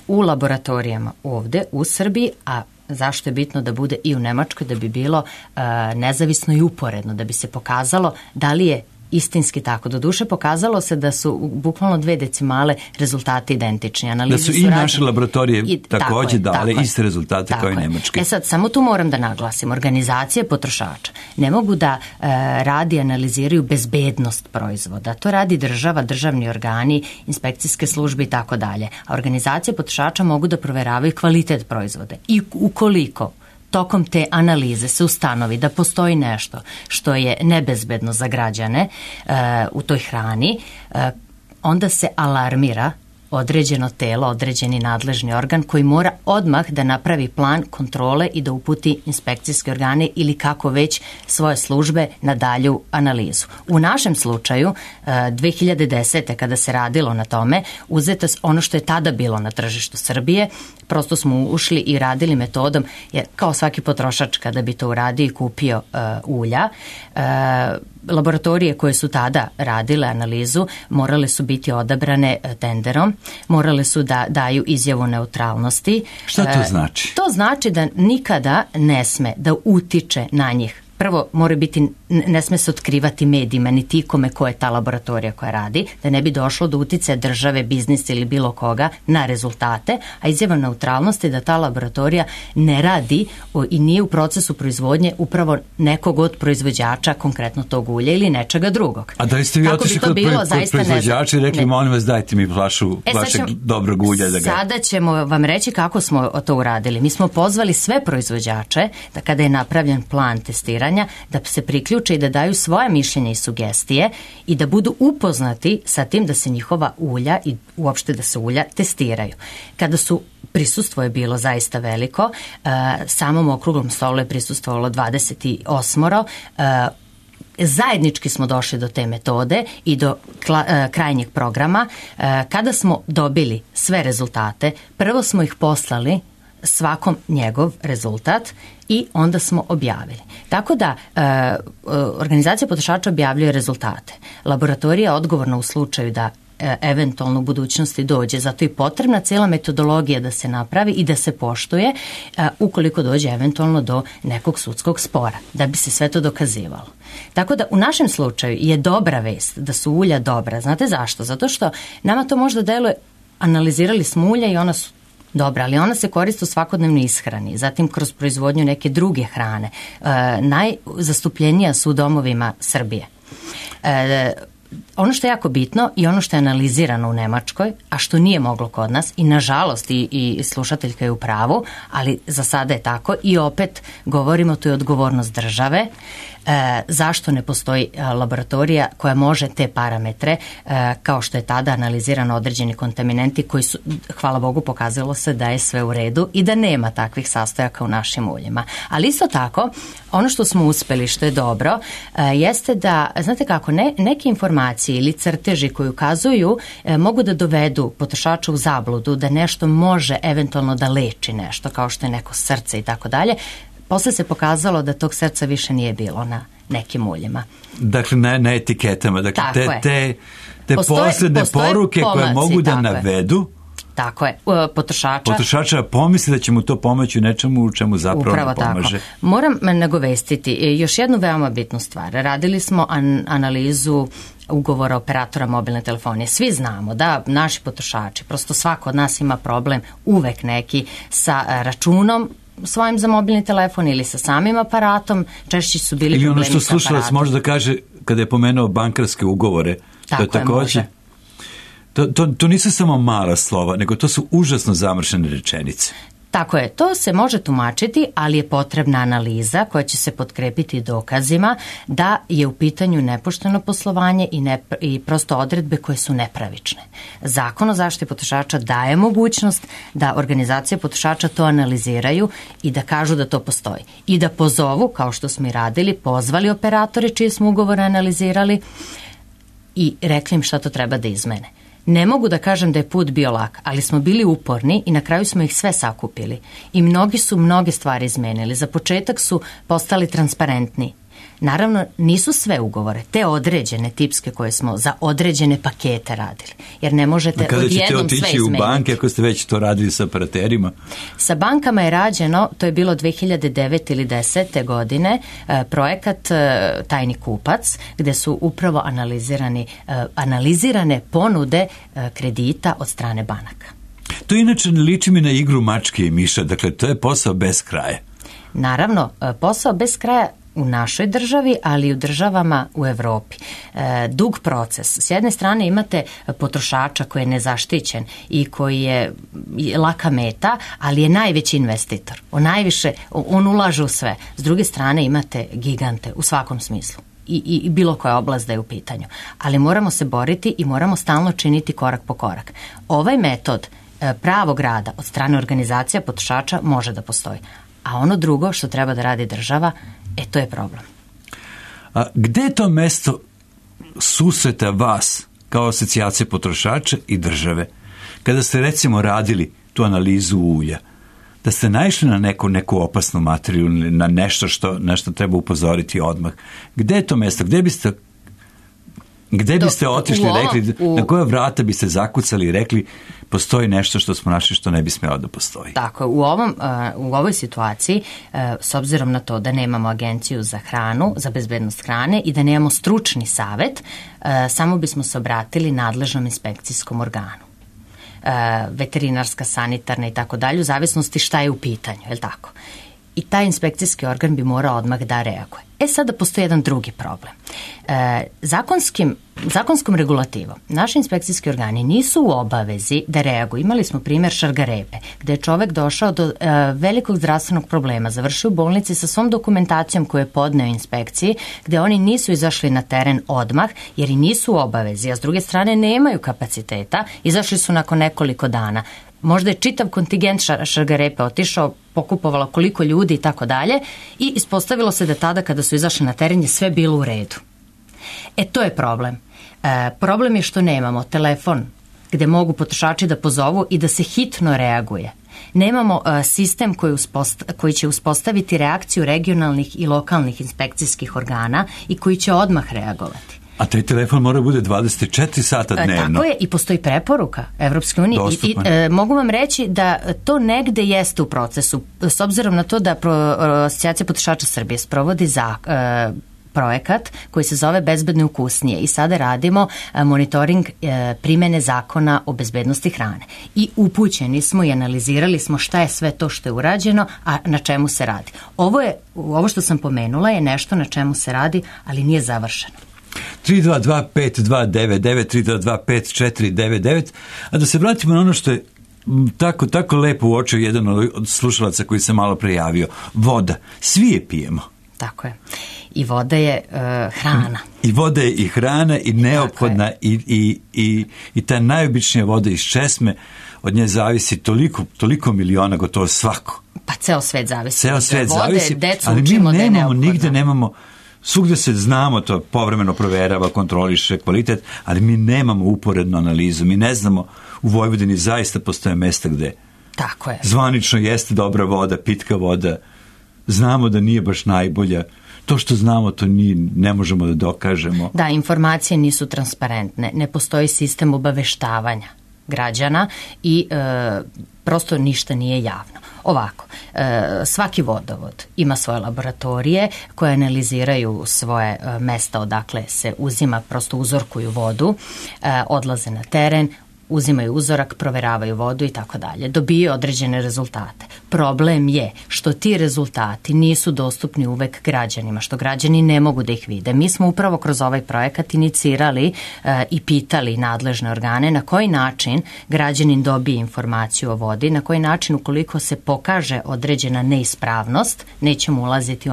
u laboratorijama ovde u Srbiji, a zašto je bitno da bude i u Nemačkoj, da bi bilo nezavisno i uporedno, da bi se pokazalo da li je istinski tako. Doduše pokazalo se da su bukvalno 2 decimale rezultati identični. Analize da su i naše laboratorije također dale iste rezultate kao i nemačke. Sad, samo tu moram da naglasim. Organizacije potrošača ne mogu da radi analiziraju bezbednost proizvoda. To radi država, državni organi, inspekcijske službe i tako dalje. A organizacije potrošača mogu da proveravaju kvalitet proizvoda. I ukoliko tokom te analize se ustanovi da postoji nešto što je nebezbedno za građane u toj hrani, onda se alarmira određeno telo, određeni nadležni organ koji mora odmah da napravi plan kontrole i da uputi inspekcijske organe ili kako već svoje službe na dalju analizu. U našem slučaju 2010. kada se radilo na tome, uzeto ono što je tada bilo na tržištu Srbije, prosto smo ušli i radili metodom, jer kao svaki potrošač kada bi to uradio i kupio ulja, laboratorije koje su tada radile analizu morale su biti odabrane tenderom, morale su da daju izjavu neutralnosti. Šta to znači? To znači da nikada ne sme da utiče na njih prvo mora biti, ne sme se otkrivati medijima niti ikome ko je ta laboratorija koja radi, da ne bi došlo do uticaja države, biznisa ili bilo koga na rezultate, a izjava neutralnosti da ta laboratorija ne radi i nije u procesu proizvodnje upravo nekog od proizvođača, konkretno tog ulja ili nečega drugog. A da li ste vi otišli kod proizvođača i rekli, molim vas, dajte mi flašu vašeg dobrog ulja da ga... Sada ćemo vam reći kako smo to uradili. Mi smo pozvali sve proizvođače da kada je napravljen plan testiranja, da se priključe i da daju svoje mišljenja i sugestije i da budu upoznati sa tim da se njihova ulja i uopšte da se ulja testiraju. Kada su prisustvo je bilo zaista veliko, samom okruglom stolu je prisustvovalo 28. Zajednički smo došli do te metode i do krajnjeg programa. Kada smo dobili sve rezultate, prvo smo ih poslali svakom njegov rezultat i onda smo objavili. Tako da organizacija potrošača objavljuje rezultate. Laboratorija je odgovorna u slučaju da eventualno u budućnosti dođe. Zato je potrebna cijela metodologija da se napravi i da se poštuje ukoliko dođe eventualno do nekog sudskog spora, da bi se sve to dokazivalo. Tako da u našem slučaju je dobra vest da su ulja dobra. Znate zašto? Zato što nama to možda deluje, analizirali smo ulja i ona su dobra, ali ona se koristi u svakodnevnoj ishrani, zatim kroz proizvodnju neke druge hrane. Najzastupljenija su u domovima Srbije. Ono što je jako bitno i ono što je analizirano u Nemačkoj, a što nije moglo kod nas i nažalost i slušateljka je u pravu, ali za sada je tako i opet govorimo, tu je odgovornost države. Zašto ne postoji laboratorija koja može te parametre, kao što je tada analizirano određeni kontaminenti koji su, hvala Bogu, pokazalo se da je sve u redu i da nema takvih sastojaka u našim uljima. Ali isto tako, ono što smo uspeli, što je dobro, jeste da, znate kako, neke informacije ili crteži koji ukazuju mogu da dovedu potrošača u zabludu da nešto može eventualno da leči nešto, kao što je neko srce i tako dalje. Posle se pokazalo da tog srca više nije bilo na nekim uljima. Dakle, na etiketama. Dakle, te posledne poruke koje mogu da navedu Tako je, potrošača pomisli da će mu to pomoći u nečemu u čemu zapravo ne pomaže. Tako. Moram nagovestiti još jednu veoma bitnu stvar. Radili smo analizu ugovora operatora mobilne telefonije. Svi znamo da naši potrošači, prosto svako od nas ima problem uvek neki sa računom svojim za mobilni telefon ili sa samim aparatom, češće su bili problemi sa aparatom. Ili ono što slušalac može da kaže kada je pomenuo bankarske ugovore. Tako to je takođe. To nisu samo mala slova, nego to su užasno zamršene rečenice. Tako je, to se može tumačiti, ali je potrebna analiza koja će se potkrepiti dokazima da je u pitanju nepošteno poslovanje i prosto odredbe koje su nepravične. Zakon o zaštiti potrošača daje mogućnost da organizacije potrošača to analiziraju i da kažu da to postoji. I da pozovu, kao što smo i radili, pozvali operatore čije smo ugovore analizirali i rekli im šta to treba da izmene. Ne mogu da kažem da je put bio lak, ali smo bili uporni i na kraju smo ih sve sakupili. I mnogi su mnoge stvari izmenili. Za početak su postali transparentni. Naravno, nisu sve ugovore, te određene tipske koje smo za određene pakete radili. Jer ne možete odjednom sve izmeniti. Kada ćete otići u banke ako ste već to radili sa operaterima? Sa bankama je rađeno, to je bilo 2009. ili 2010. godine, projekat Tajni kupac, gde su upravo analizirane ponude kredita od strane banaka. To inače ne liči mi na igru mačke i miša, dakle to je posao bez kraja. Naravno, posao bez kraja u našoj državi, ali i u državama u Evropi. Dug proces. S jedne strane imate potrošača koji je nezaštićen i koji je laka meta, ali je najveći investitor. On ulaže u sve. S druge strane imate gigante u svakom smislu. I bilo koja oblast da je u pitanju. Ali moramo se boriti i moramo stalno činiti korak po korak. Ovaj metod pravog rada od strane organizacija potrošača može da postoji. A ono drugo što treba da radi država, to je problem. A gde je to mesto susreta vas kao asocijacije potrošača i države? Kada ste recimo radili tu analizu ulja, da ste naišli na neku opasnu materiju, na nešto što treba upozoriti odmah. Gde je to mesto? Gde biste Gde biste otišli, rekli, na koja vrata biste zakucali i rekli postoji nešto što smo našli što ne bi smjelo da postoji? Tako, u ovoj situaciji, s obzirom na to da nemamo agenciju za hranu, za bezbednost hrane i da nemamo stručni savet, samo bismo se obratili nadležnom inspekcijskom organu. Veterinarska, sanitarna i tako dalje, u zavisnosti šta je u pitanju, je li tako? I taj inspekcijski organ bi morao odmah da reaguje. Sada postoji jedan drugi problem. Zakonskom regulativom naši inspekcijski organi nisu u obavezi da reaguju. Imali smo primjer Šargarepe, gde je čovek došao do velikog zdravstvenog problema, završio u bolnici sa svom dokumentacijom koju je podneo inspekciji, gde oni nisu izašli na teren odmah, jer i nisu u obavezi, a s druge strane nemaju kapaciteta, izašli su nakon nekoliko dana. Možda je čitav kontingent Šargarepe otišao, pokupovalo koliko ljudi i tako dalje i ispostavilo se da tada kada su izašli na teren je sve bilo u redu. To je problem. Problem je što nemamo telefon gde mogu potrošači da pozovu i da se hitno reaguje. Nemamo sistem koji će uspostaviti reakciju regionalnih i lokalnih inspekcijskih organa i koji će odmah reagovati. A taj telefon mora bude 24 sata dnevno. Tako je, i postoji preporuka Evropske unije. Mogu vam reći da to negde jeste u procesu, s obzirom na to da Asocijacija potrošača Srbije sprovodi projekat koji se zove Bezbedno i ukusnije i sada radimo monitoring primene zakona o bezbednosti hrane. I upućeni smo i analizirali smo šta je sve to što je urađeno, a na čemu se radi. Ovo što sam pomenula je nešto na čemu se radi, ali nije završeno. 322-5299, a da se vratimo na ono što je tako lepo uočio jedan od slušalaca koji se malo prejavio. Voda. Svi je pijemo. Tako je. I voda je hrana. I voda je i hrana i neophodna i ta najobičnija voda iz česme, od nje zavisi toliko miliona, gotovo svako. Pa ceo svet zavisi. Ceo svet zavisi, ali mi nemamo, nigde nemamo. Svugde se znamo, to povremeno proverava, kontroliše kvalitet, ali mi nemamo uporednu analizu. Mi ne znamo, u Vojvodini zaista postoje mesta gde tako je. Zvanično jeste dobra voda, pitka voda. Znamo da nije baš najbolja. To što znamo, to ne možemo da dokažemo. Da, informacije nisu transparentne. Ne postoji sistem obaveštavanja građana i prosto ništa nije javno. Ovako, svaki vodovod ima svoje laboratorije koje analiziraju svoje mesta odakle se uzima, prosto uzorkuju vodu, odlaze na teren, uzimaju uzorak, proveravaju vodu i tako dalje. Dobijaju određene rezultate. Problem je što ti rezultati nisu dostupni uvek građanima, što građani ne mogu da ih vide. Mi smo upravo kroz ovaj projekat inicirali i pitali nadležne organe na koji način građanin dobije informaciju o vodi, na koji način ukoliko se pokaže određena neispravnost, nećemo ulaziti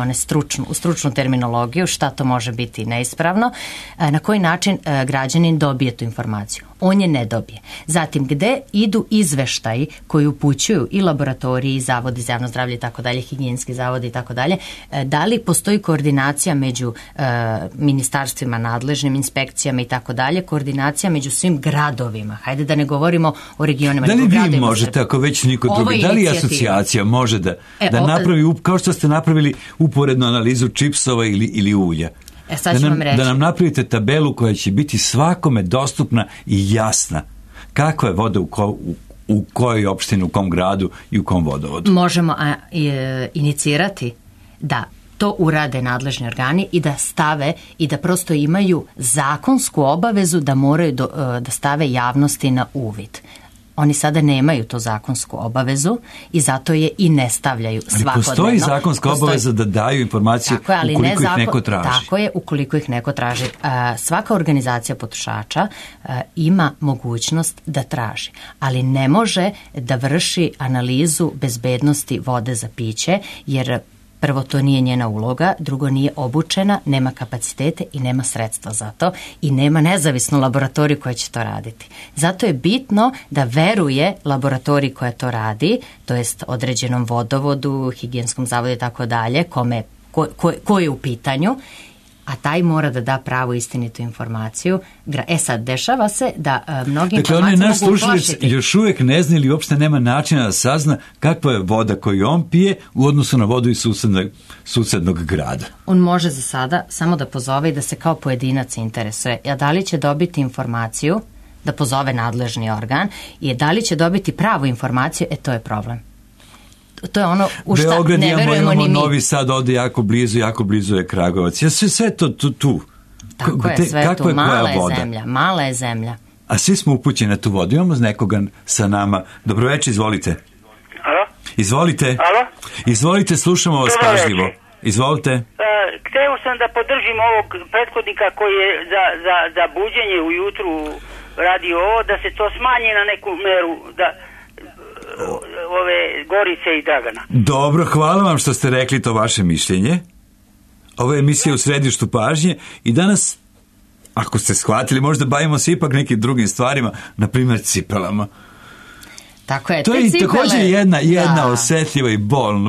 u stručnu terminologiju, šta to može biti neispravno, na koji način građanin dobije tu informaciju. On je ne dobije. Zatim, gde idu izveštaji koji upućuju i laboratoriji, i zavodi za javno zdravlje i tako dalje, higijenski zavodi i tako dalje, da li postoji koordinacija među ministarstvima, nadležnim inspekcijama i tako dalje, koordinacija među svim gradovima. Hajde da ne govorimo o regionima. Da li vi možete, ako već niko drugi, da li asocijacija može da napravi, kao što ste napravili uporednu analizu čipsova ili ulja? Da nam napravite tabelu koja će biti svakome dostupna i jasna. Kakva je voda u kojoj opštini, u kom gradu i u kom vodovodu? Možemo inicirati da to urade nadležni organi i da stave i da prosto imaju zakonsku obavezu da moraju da stave javnosti na uvid. Oni sada nemaju to zakonsku obavezu i zato je i ne stavljaju svakodnevno. Ali postoji zakonska obaveza da daju informacije ukoliko ih neko traži. Tako je, ukoliko ih neko traži. Svaka organizacija potrošača ima mogućnost da traži, ali ne može da vrši analizu bezbednosti vode za piće, jer prvo, to nije njena uloga, drugo, nije obučena, nema kapacitete i nema sredstva za to i nema nezavisnu laboratoriju koja će to raditi. Zato je bitno da veruje laboratoriji koja to radi, to jest određenom vodovodu, higijenskom zavodu i tako dalje, ko je u pitanju, a taj mora da da pravu istinitu informaciju. Sad, dešava se da mnogi informacije naš mogu slušalac uplašiti. još uvijek ne zna ili uopšte nema načina da sazna kakva je voda koju on pije u odnosu na vodu iz susednog grada. On može za sada samo da pozove i da se kao pojedinac interesuje. A da li će dobiti informaciju, da pozove nadležni organ, i da li će dobiti pravu informaciju, to je problem. To je ono u šta Beograd ne verujemo ni mi. Novi Sad ovde jako blizu je Kragujevac. Sve to tu. Tako je, sve tu. Mala je zemlja. A svi smo upućeni na tu vodu. Imamo nekoga sa nama. Dobroveče, izvolite. Alo? Izvolite. Alo? Izvolite, slušamo vas pažljivo. Izvolite. Hteo sam da podržim ovog prethodnika koji je za buđenje ujutru radio ovo, da se to smanji na neku meru, da ove Gorice i Dragana. Dobro, hvala vam što ste rekli to vaše mišljenje. Ovo je emisija u središtu pažnje i danas, ako ste shvatili, možda bavimo se ipak nekim drugim stvarima, na primjer cipelama. Tako je, to je također jedna osjetljiva i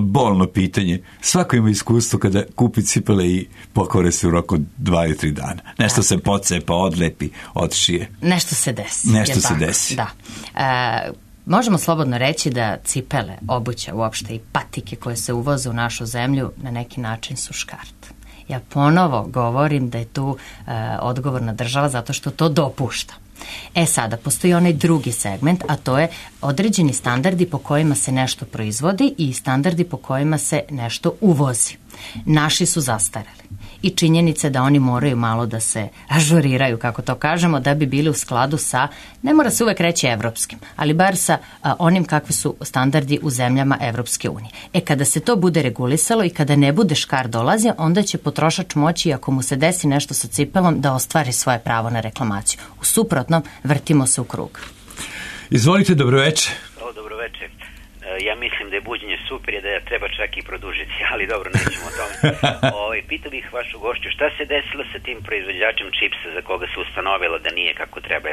bolno pitanje. Svako ima iskustvo kada kupi cipele i pokvare se u roku 2 ili 3 dana. Nešto se pocepa, odlepi, odšije. Nešto se desi. Da. Možemo slobodno reći da cipele, obuća uopšte i patike koje se uvoze u našu zemlju na neki način su škart. Ja ponovo govorim da je tu odgovorna država zato što to dopušta. Sada, postoji onaj drugi segment, a to je određeni standardi po kojima se nešto proizvodi i standardi po kojima se nešto uvozi. Naši su zastareli. I činjenice da oni moraju malo da se ažuriraju, kako to kažemo, da bi bili u skladu sa, ne mora se uvek reći evropskim, ali bar sa onim kakvi su standardi u zemljama Evropske unije. Kada se to bude regulisalo i kada ne bude škar dolazio, onda će potrošač moći, ako mu se desi nešto sa cipelom, da ostvari svoje pravo na reklamaciju. U suprotnom, vrtimo se u krug. Izvolite, dobroveče. Dobroveče. Ja mislim da je buđenje super i da je treba čak i produžiti, ali dobro, nećemo o tome. Pitao bih vašu gošću, šta se desilo sa tim proizvođačem čipsa za koga se ustanovilo da nije kako treba?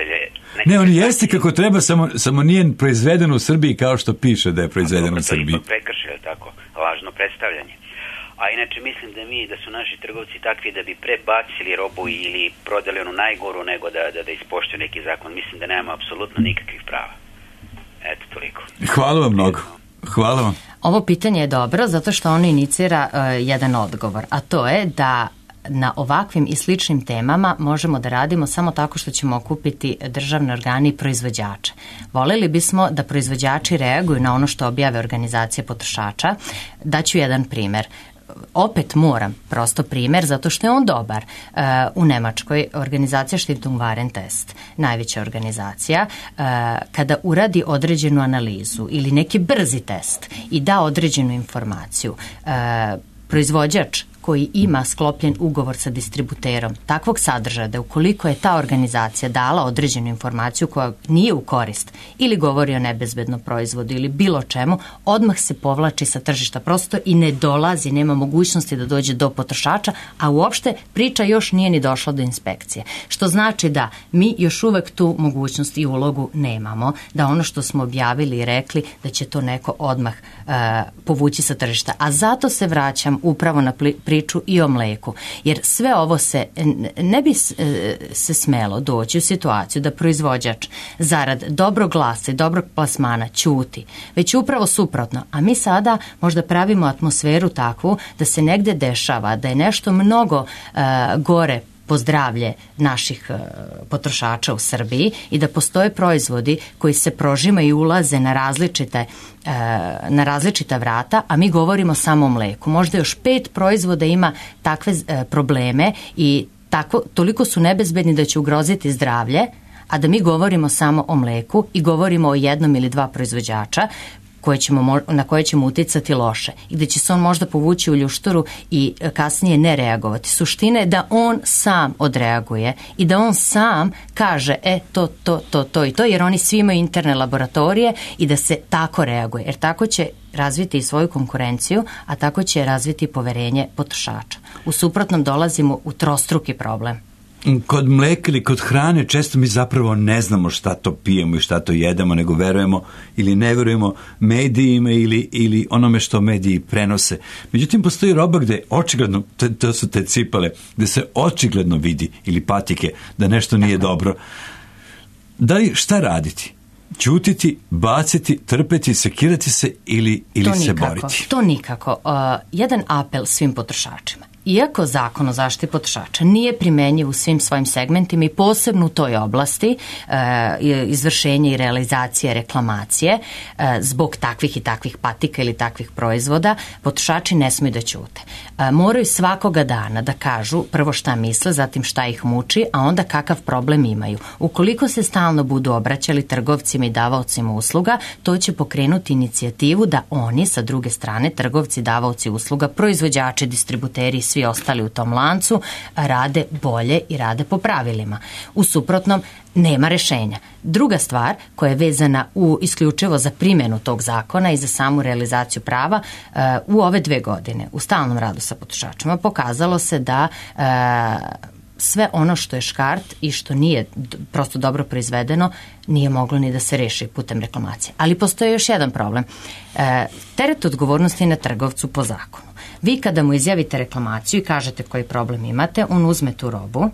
Ne, on jeste kako treba, samo nije proizveden u Srbiji kao što piše da je proizveden u Srbiji. To je prekršaj, tako, lažno predstavljanje. A inače mislim da su naši trgovci takvi da bi prebacili robu ili prodali onu najgoru nego da ispoštuju neki zakon. Mislim da nema apsolutno nikakvih prava. Eto, toliko. Hvala vam mnogo. Hvala vam. Ovo pitanje je dobro zato što ono inicira jedan odgovor, a to je da na ovakvim i sličnim temama možemo da radimo samo tako što ćemo okupiti državne organe i proizvođače. Voljeli bismo da proizvođači reaguju na ono što objave organizacije potrošača. Daću jedan primjer. Opet moram, prosto primjer, zato što je on dobar. U Nemačkoj organizacija Stiftung Warentest, najveća organizacija, kada uradi određenu analizu ili neki brzi test i da određenu informaciju, proizvođač koji ima sklopljen ugovor sa distributerom takvog sadržaja da ukoliko je ta organizacija dala određenu informaciju koja nije u korist ili govori o nebezbednom proizvodu ili bilo čemu, odmah se povlači sa tržišta prosto i ne dolazi, nema mogućnosti da dođe do potrošača, a uopšte priča još nije ni došla do inspekcije. Što znači da mi još uvek tu mogućnost i ulogu nemamo, da ono što smo objavili i rekli da će to neko odmah povući sa tržišta. A zato se vraćam upravo na priču i o mleku. Jer sve ovo ne bi se smelo doći u situaciju da proizvođač zarad dobrog glasa i dobrog plasmana ćuti, već upravo suprotno. A mi sada možda pravimo atmosferu takvu da se negde dešava, da je nešto mnogo gore po zdravlje naših potrošača u Srbiji i da postoje proizvodi koji se prožimaju i ulaze na različita vrata, a mi govorimo samo o mleku. Možda još 5 proizvoda ima takve probleme i toliko su nebezbedni da će ugroziti zdravlje, a da mi govorimo samo o mleku i govorimo o 1 ili 2 proizvođača na koje ćemo uticati loše i gde će se on možda povući u ljušturu i kasnije ne reagovati. Suština je da on sam odreaguje i da on sam kaže to i to, jer oni svi imaju interne laboratorije i da se tako reaguje, jer tako će razviti i svoju konkurenciju, a tako će razviti poverenje potrošača. U suprotnom dolazimo u trostruki problem. kod mleka ili kod hrane često mi zapravo ne znamo šta to pijemo i šta to jedemo, nego verujemo ili ne verujemo medijima ili onome što mediji prenose. Međutim, postoji roba gde očigledno, to su te cipele, gde se očigledno vidi, ili patike, da nešto nije dobro. Da li šta raditi? Ćutiti, baciti, trpeti, sekirati se ili se boriti? To nikako. Jedan apel svim potrošačima. Iako zakon o zaštiti potrošača nije primenjiv u svim svojim segmentima i posebno u toj oblasti izvršenja i realizacije reklamacije zbog takvih i takvih patika ili takvih proizvoda, potrošači ne smiju da ćute. Moraju svakoga dana da kažu prvo šta misle, zatim šta ih muči, a onda kakav problem imaju. Ukoliko se stalno budu obraćali trgovcima i davaocima usluga, to će pokrenuti inicijativu da oni, sa druge strane, trgovci, davaoci usluga, proizvođači, distributeri i svi ostali u tom lancu, rade bolje i rade po pravilima. U suprotnom, nema rešenja. Druga stvar koja je vezana isključivo za primjenu tog zakona i za samu realizaciju prava, u ove 2 godine u stalnom radu sa potrošačima pokazalo se da sve ono što je škart i što nije prosto dobro proizvedeno nije moglo ni da se reši putem reklamacije. Ali postoji još jedan problem. Teret odgovornosti je na trgovcu po zakonu. Vi kada mu izjavite reklamaciju i kažete koji problem imate, on uzme tu robu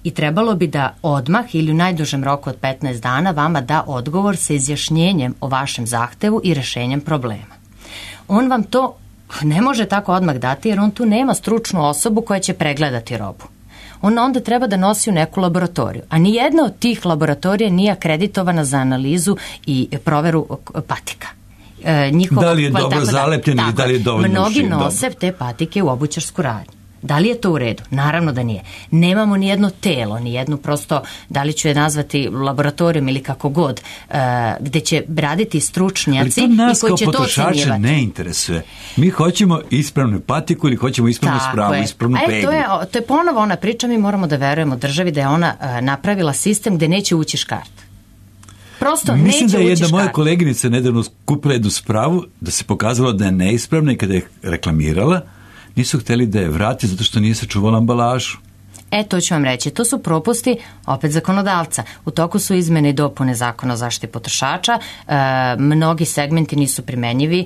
i trebalo bi da odmah ili u najdužem roku od 15 dana vama da odgovor sa izjašnjenjem o vašem zahtevu i rešenjem problema. On vam to ne može tako odmah dati jer on tu nema stručnu osobu koja će pregledati robu. On onda treba da nosi u neku laboratoriju, a nijedna od tih laboratorija nije akreditovana za analizu i proveru patika. Da li je dobro zalepljen ili da li je dovoljno mnogi nose te patike u obućarsku radnju. Da li je to u redu? Naravno da nije. Nemamo ni jedno telo, ni jednu prosto, da li ću je nazvati laboratorijom ili kako god, gde će raditi stručnjaci i koji će to ocjenjivati. Ali to nas kao potrošače ne interesuje. Mi hoćemo ispravnu patiku ili hoćemo ispravnu spravu, ispravnu peglu. To je ponovo ona priča, mi moramo da verujemo državi da je ona napravila sistem gde neće ući škart. Prosto mislim da je jedna moja koleginica nedavno kupila jednu spravu, da se pokazalo da je neispravna i kada je reklamirala, nisu htjeli da je vrati zato što nije sačuvala ambalažu. To ću vam reći, to su propusti opet zakonodavca. U toku su izmene i dopune zakona o zaštiti potrošača, mnogi segmenti nisu primenjivi,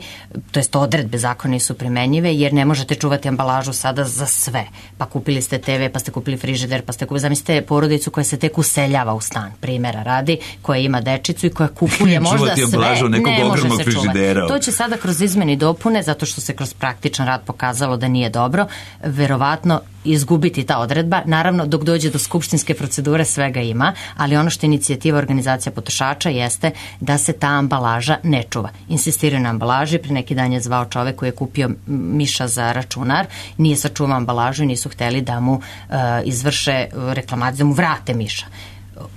to jest odredbe zakona nisu primenjive, jer ne možete čuvati ambalažu sada za sve. Pa kupili ste TV, pa ste kupili frižider, pa ste kupili, zamislite porodicu koja se tek useljava u stan, primjera radi, koja ima dečicu i koja kupuje možda sve, ne može se čuvati. To će sada kroz izmene i dopune, zato što se kroz praktičan rad pokazalo da nije dobro, verovatno izgubiti ta odredba. Naravno, dok dođe do skupštinske procedure svega ima, ali ono što je inicijativa organizacija potrošača jeste da se ta ambalaža ne čuva. Insistiraju na ambalaži, pre neki dan je zvao čovek koji je kupio miša za računar, nije sačuvao ambalažu i nisu hteli da mu izvrše reklamaciju, da mu vrate miša.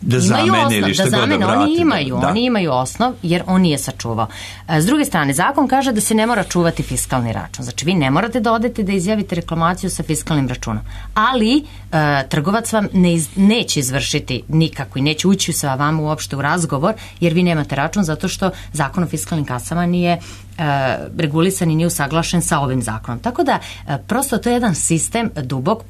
Da zamene ili što god da vrati. Oni imaju osnov jer on nije sačuvao. S druge strane, zakon kaže da se ne mora čuvati fiskalni račun. Znači, vi ne morate da odete da izjavite reklamaciju sa fiskalnim računom. Ali trgovac vam neće izvršiti nikako i neće ući sa vama uopšte u razgovor jer vi nemate račun zato što zakon o fiskalnim kasama nije regulisan i nije usaglašen sa ovim zakonom. Tako da, prosto to je jedan sistem dubok,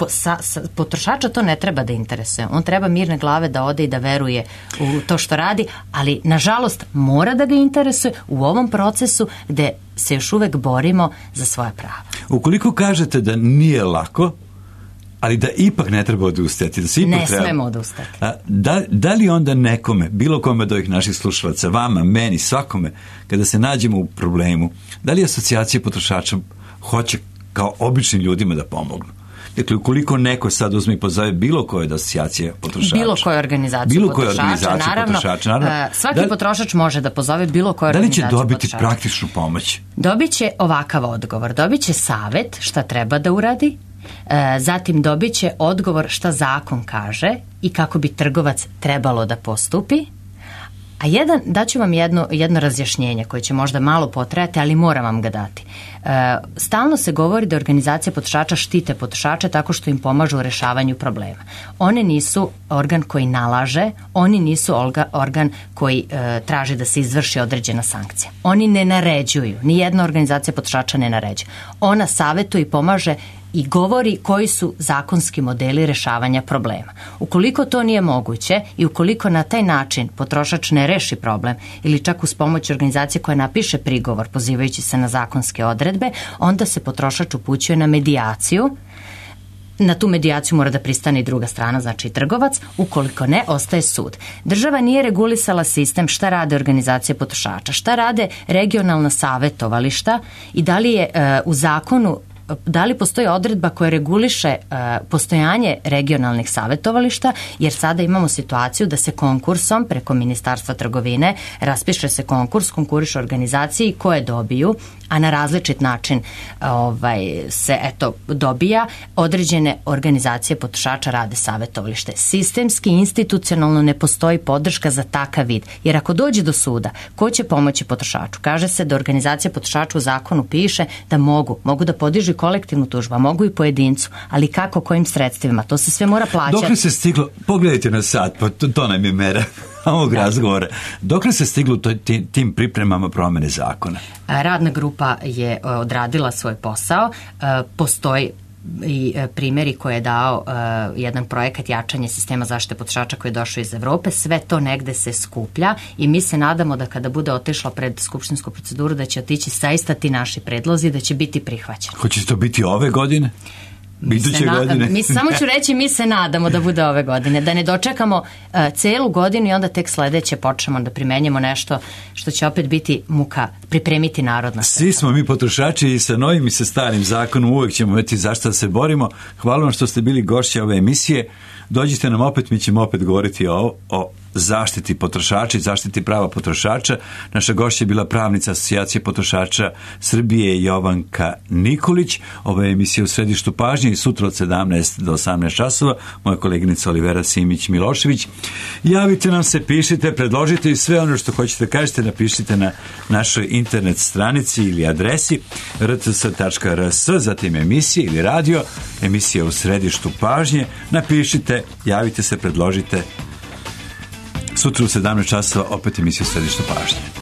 potrošača to ne treba da interesuje. On treba mirne glave da ode i da veruje u to što radi, ali nažalost mora da ga interesuje u ovom procesu gde se još uvek borimo za svoja prava. Ukoliko kažete da nije lako, ali da ipak ne treba odustati, da se ipak smemo odustati. Da li onda nekome, bilo kome od ovih naših slušalaca, vama, meni, svakome, kada se nađemo u problemu, da li asocijacije potrošača hoće kao običnim ljudima da pomognu? Dakle, ukoliko neko sad uzme i pozove bilo koje od asocijacije potrošača, bilo koje organizacije potrošača, naravno, svaki potrošač može da pozove bilo koje organizacije potrošača. Da li će dobiti praktičnu pomoć? Dobit će ovakav odgovor, dobit će savet šta treba da uradi, zatim dobit će odgovor šta zakon kaže i kako bi trgovac trebalo da postupi, a daću vam jedno razjašnjenje koje će možda malo potrajati, ali moram vam ga dati. Stalno se govori da organizacije potrošača štite potrošače tako što im pomažu u rešavanju problema. One nisu organ koji nalaže, oni nisu organ koji traži da se izvrši određena sankcija. Oni ne naređuju, nijedna organizacija potrošača ne naređuje. Ona savetuje i pomaže i govori koji su zakonski modeli rešavanja problema. Ukoliko to nije moguće i ukoliko na taj način potrošač ne reši problem ili čak uz pomoć organizacije koja napiše prigovor pozivajući se na zakonske odredbe, onda se potrošač upućuje na medijaciju. Na tu medijaciju mora da pristane i druga strana, znači i trgovac, ukoliko ne, ostaje sud. Država nije regulisala sistem šta rade organizacije potrošača, šta rade regionalna savetovališta i da li je u zakonu, da li postoji odredba koja reguliše postojanje regionalnih savetovališta, jer sada imamo situaciju da se konkursom preko Ministarstva trgovine raspiše se konkurs, konkurišu organizaciji koje dobiju, a na različit način se dobija, određene organizacije potrošača rade savetovalište. Sistemski, institucionalno ne postoji podrška za takav vid, jer ako dođe do suda, ko će pomoći potrošaču? Kaže se da organizacija potrošača u zakonu piše da mogu da podižu kolektivnu tužbu, mogu i pojedincu, ali kako, kojim sredstvima? To se sve mora plaćati. Dokle se stiglo, pogledajte na sat, pa to nam je mera ovog razgovora. Dokle se stiglo tim pripremama promene zakona? Radna grupa je odradila svoj posao. Postoji i primjeri koje je dao jedan projekat jačanje sistema zaštite potrošača koji je došao iz Evrope. Sve to negde se skuplja i mi se nadamo da kada bude otišlo pred skupštinsku proceduru da će otići zaista ti naši predlozi, da će biti prihvaćeni. Hoće to biti ove godine? Samo ću reći, mi se nadamo da bude ove godine, da ne dočekamo celu godinu i onda tek sledeće počnemo da primenjamo nešto što će opet biti muka pripremiti narodna. Svi smo mi potrošači i sa novim i sa starim zakonom, uvek ćemo imati zašto da se borimo. Hvala vam što ste bili gošće ove emisije. Dođite nam opet, mi ćemo opet govoriti o zaštiti potrošača i zaštiti prava potrošača. Naša gošća je bila pravnica Asocijacije potrošača Srbije Jovanka Nikolić. Ova je emisija u središtu pažnje i sutra od 17 do 18 časova. Moja koleginica Olivera Simić-Milošević. Javite nam se, pišite, predložite i sve ono što hoćete kažete napišite na našoj internet stranici ili adresi rcs.rs, zatim emisija ili radio, emisija u središtu pažnje. Napišite, javite se, predložite. Sutra u 17 časova opet emisiju Središte pažnje.